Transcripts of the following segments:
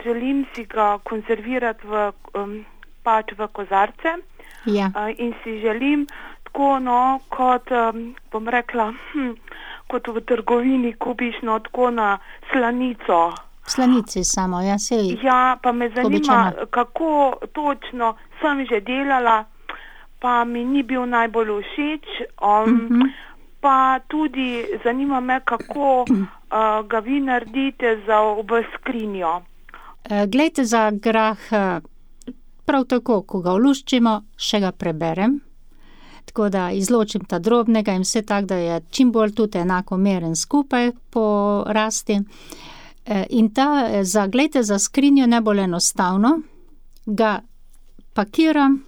želim si ga konzervirati v kozarce. Ja. In si želim tako, kot, bom rekla, kot v trgovini kupiš, tako na slanico. Slanici samo, ja, sej. Ja, pa me zanima, običajno. kako točno sem že delala, pa mi ni bil najbolj všeč. Pa tudi zanima me, kako ga vi naredite za v skrinjo. Glejte, za grah prav tako, ko ga oluščimo, še ga preberem, tako da izločim ta drobnega in vse tako, da je čim bolj tudi enakomeren skupaj po rasti. In glejte, za skrinjo najbolj enostavno, ga pakiram,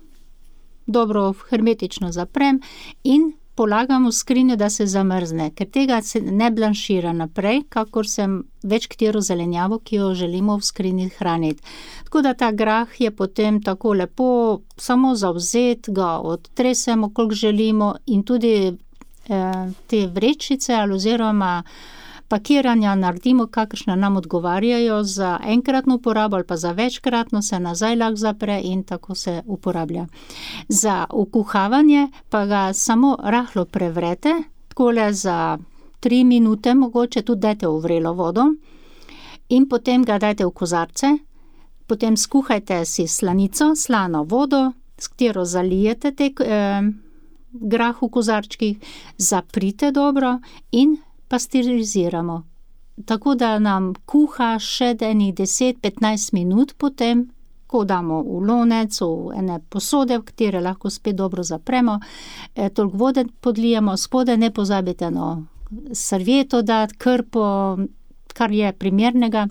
dobro hermetično zaprem in polagam v skrinjo, da se zamrzne, ker tega se ne blanšira naprej, kakor sem več katero zelenjavo, ki jo želimo v skrinji hraniti. Tako da ta grah je potem tako lepo samo zavzet, ga odtresemo, koliko želimo in tudi te vrečice oziroma pakiranja naredimo, kakršne nam odgovarjajo za enkratno uporabo ali pa za večkratno, se nazaj lahko zapre in tako se uporablja. Za ukuhavanje pa ga samo rahlo prevrete, takole za 3 minute mogoče, tudi dajte v vrelo vodo in potem ga dajte v kozarce, potem skuhajte si slanico, slano vodo, s katero zalijete grah v kozarčkih, zaprite dobro in pasteriziramo. Tako da nam kuha še enih 10-15 minut potem, ko damo v lonec, v ene posode, v katere lahko spet dobro zapremo, toliko vode podlijemo, spode ne pozabite servieto dati, krpo, kar je primernega.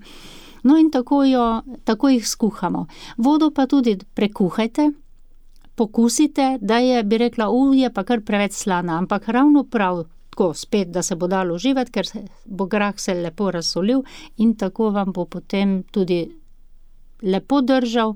No in tako jih skuhamo. Vodo pa tudi prekuhajte, pokusite, da je, bi rekla, je pa kar preveč slana, ampak ravno prav, tako spet, da se bo dalo uživati, ker bo grah se lepo razsolil in tako vam bo potem tudi lepo držal.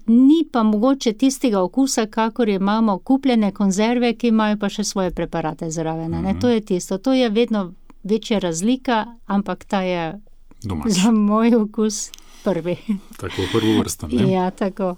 Ni pa mogoče tistega okusa, kakor imamo kupljene konzerve, ki imajo pa še svoje preparate zraven. To je tisto, to je vedno večja razlika, ampak ta je domač. Za moj okus prvi. Tako prvovrsten, ne? Ja, tako.